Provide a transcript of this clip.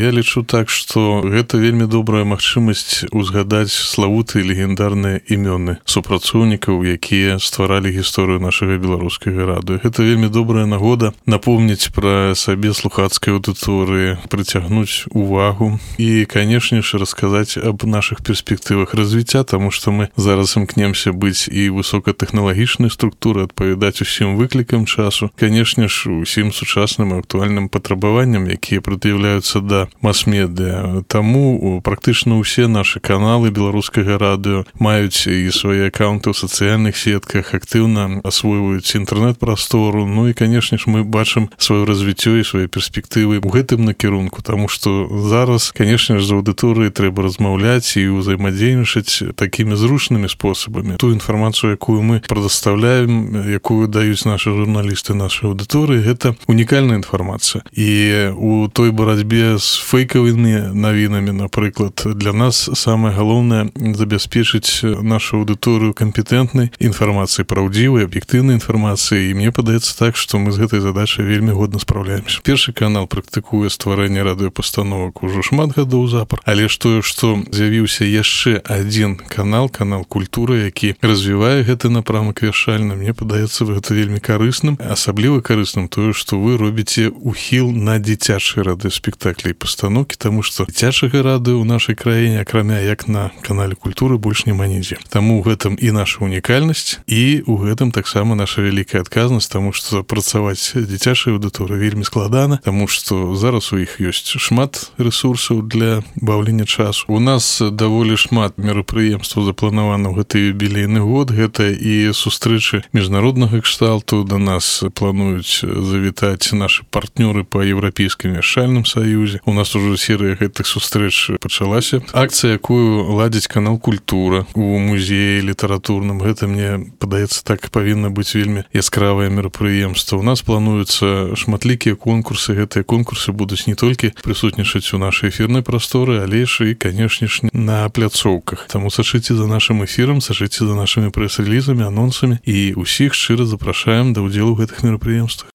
Я лічу так, што гэта вельмі добрая магчымасць узгадаць славутыя легендарныя імёны супрацоўнікаў, якія стваралі гісторыю нашага беларускага радыё. Гэта вельмі добрая нагода напомніць пра сабе слухацкай аўдыторыі, прыцягнуць увагу і, канешне ж, расказаць аб нашых перспектывах развіцця, таму што мы зараз імкнемся быць і высокатэхналагічнай структурай, адпавядаць усім выклікам часу, канешне ж, усім сучасным і актуальным патрабаванням, якія прад'яўляюцца да мас-медыа. Таму практычна ўсе нашы каналы беларускага радыё маюць і свае акаунты ў сацыяльных сетках, актыўна асвойваюць інтэрнэт-прастору. Ну і, канешне ж, мы бачым сваё развіццё і свае перспектывы ў гэтым накірунку, таму што зараз, канешне ж, з аўдыторыяй трэба размаўляць і ўзаемадзейнічаць такімі зручнымі спосабамі. Ту інфармацыю, якую мы прадастаўляем, якую даюць нашы журналісты нашай аўдыторыі, гэта унікальная інфармацыя. І у той барацьбе з фэйкавымі навінамі, напрыклад, для нас самае галоўнае забяспечыць нашу аўдыторыю кампетэнтнай інфармацыяй, праўдзівай, аб'ектыўнай інфармацыяй. І мне падаецца так, што мы з гэтай задачай вельмі годна спраўляемся. Першы канал практыкуе стварэнне радыёпастановак ужо шмат гадоў запар, але ж тое, што з'явіўся яшчэ адзін канал культуры, які развівае гэты напрамак вяршальна, мне падаецца гэта вельмі карысным. Асабліва карысным тое, што вы робіце ухіл на дзіцячыя радыёспектаклі і пастаноўкі, таму што дзіцячага радыё ў нашай краіне, акрамя як на канале культуры, больш няма нідзе. Таму ў гэтым і наша унікальнасць, і ў гэтым таксама наша вялікая адказнасць, таму што працаваць дзіцячай аўдыторыі вельмі складана, таму што зараз у іх ёсць шмат рэсурсаў для баўлення часу. У нас даволі шмат мерапрыемстваў запланавана ў гэты юбілейны год. Гэта і сустрэчы міжнароднага кшталту. Да нас плануюць завітаць нашы партнёры па Еўрапейскім вяршальным саюзе. У нас ужо серыя гэтых сустрэч пачалася. Акцыя, якую ладзіць канал «Культура» у музеі літаратурным, гэта, мне падаецца, так павінна быць вельмі яскравае мерапрыемства. У нас плануюцца шматлікія конкурсы. Гэтыя конкурсы будуць не толькі прысутнічаць у нашай эфірнай прасторы, але ж і, канешне ж, на пляцоўках. Таму сачыце за нашым эфірам, сачыце за нашымі прэс-рэлізамі, анонсамі і ўсіх шчыра запрашаем да ўдзелу ў гэтых мерапрыемствах.